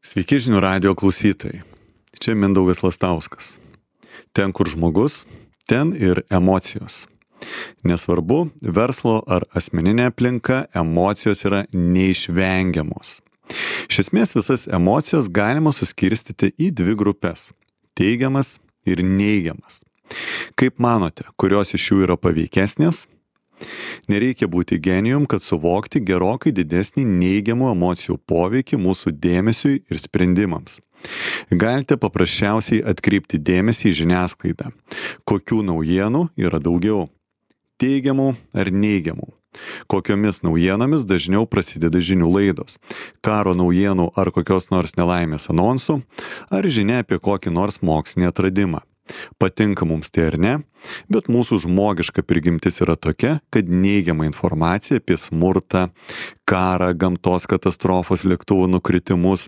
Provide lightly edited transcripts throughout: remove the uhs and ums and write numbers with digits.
Sveiki žinių radijo klausytojai. Čia Mindaugas Lastauskas. Ten, kur žmogus, ten ir emocijos. Nesvarbu, verslo ar asmeninė aplinka, emocijos yra neišvengiamos. Iš esmės visas emocijas galima suskirstyti į dvi grupės - teigiamas ir neigiamas. Kaip manote, kurios iš jų yra paveikesnės? Nereikia būti genijum, kad suvokti gerokai didesnį neigiamų emocijų poveikį mūsų dėmesiui ir sprendimams. Galite paprasčiausiai atkreipti dėmesį į žiniasklaidą. Kokių naujienų yra daugiau? Teigiamų ar neigiamų? Kokiomis naujienomis dažniau prasideda žinių laidos? Karo naujienų ar kokios nors nelaimės anonsų? Ar žinia apie kokį nors mokslinį atradimą? Patinka mums tai ar ne, bet mūsų žmogiška prigimtis yra tokia, kad neigiama informacija apie smurtą, karą, gamtos katastrofos, lėktuvų nukritimus,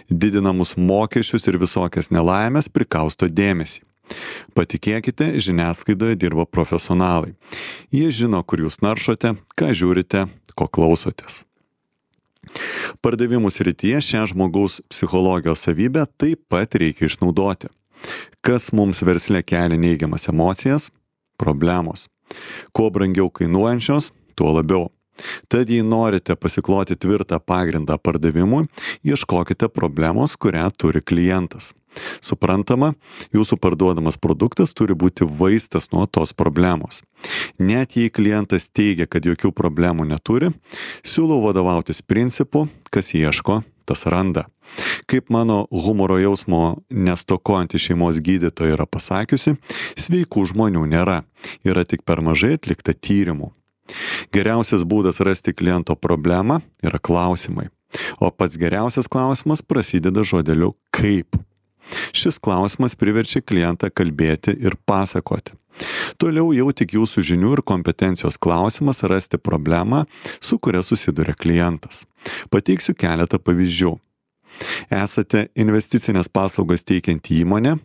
didinamus mokesčius ir visokias nelaimės prikausto dėmesį. Patikėkite, žiniasklaidoje dirba profesionalai. Jie žino, kur jūs naršote, ką žiūrite, ko klausotės. Pardavimų srityje šią žmogaus psichologijos savybę taip pat reikia išnaudoti. Kas mums versle kelia neigiamas emocijas? Problemos. Kuo brangiau kainuojančios, tuo labiau. Tad jei norite pasikloti tvirtą pagrindą pardavimui, ieškokite problemos, kurią turi klientas. Suprantama, jūsų parduodamas produktas turi būti vaistas nuo tos problemos. Net jei klientas teigia, kad jokių problemų neturi, siūlau vadovautis principu, kas ieško, tas randa. Kaip mano humoro jausmo nestokojanti šeimos gydytoja yra pasakiusi, sveikų žmonių nėra, yra tik per mažai atlikta tyrimų. Geriausias būdas rasti kliento problemą yra klausimai, o pats geriausias klausimas prasideda žodeliu kaip. Šis klausimas priverčia klientą kalbėti ir pasakoti. Toliau jau tik jūsų žinių ir kompetencijos klausimas rasti problemą, su kuria susiduria klientas. Pateiksiu keletą pavyzdžių. Esate investicinės paslaugas teikianti įmonė,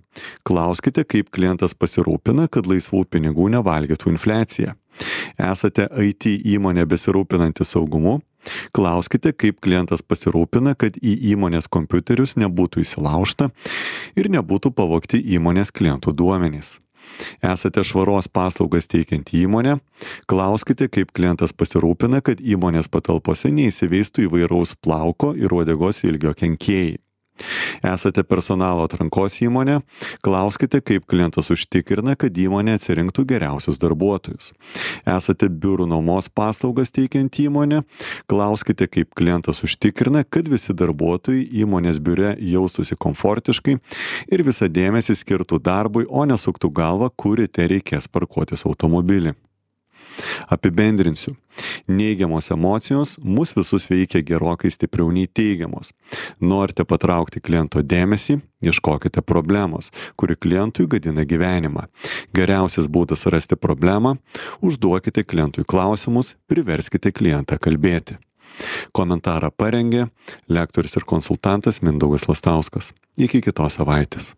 klauskite, kaip klientas pasirūpina, kad laisvų pinigų nevalgytų infliacija. Esate IT įmonė besirūpinanti saugumu, klauskite, kaip klientas pasirūpina, kad į įmonės kompiuterius nebūtų įsilaužta ir nebūtų pavogti įmonės klientų duomenys. Esate švaros paslaugas teikianti įmonė, klauskite, kaip klientas pasirūpina, kad įmonės patalpose neįsiveistų įvairaus plauko ir uodegos ilgio kenkėjai. Esate personalo atrankos įmonė, klauskite, kaip klientas užtikrina, kad įmonė atsirinktų geriausius darbuotojus. Esate biurų nuomos paslaugas teikianti įmonė, klauskite, kaip klientas užtikrina, kad visi darbuotojai įmonės biure jaustųsi komfortiškai ir visą dėmesį skirtų darbui, o nesuktų galvą, kur ryte reikės parkuotis automobilį. Apibendrinsiu. Neigiamos emocijos mus visus veikia gerokai stipriau nei teigiamos. Norite patraukti kliento dėmesį, ieškokite problemos, kuri klientui gadina gyvenimą. Geriausias būdas rasti problemą - užduokite klientui klausimus, priverskite klientą kalbėti. Komentarą parengė lektorius ir konsultantas Mindaugas Lastauskas. Iki kitos savaitės.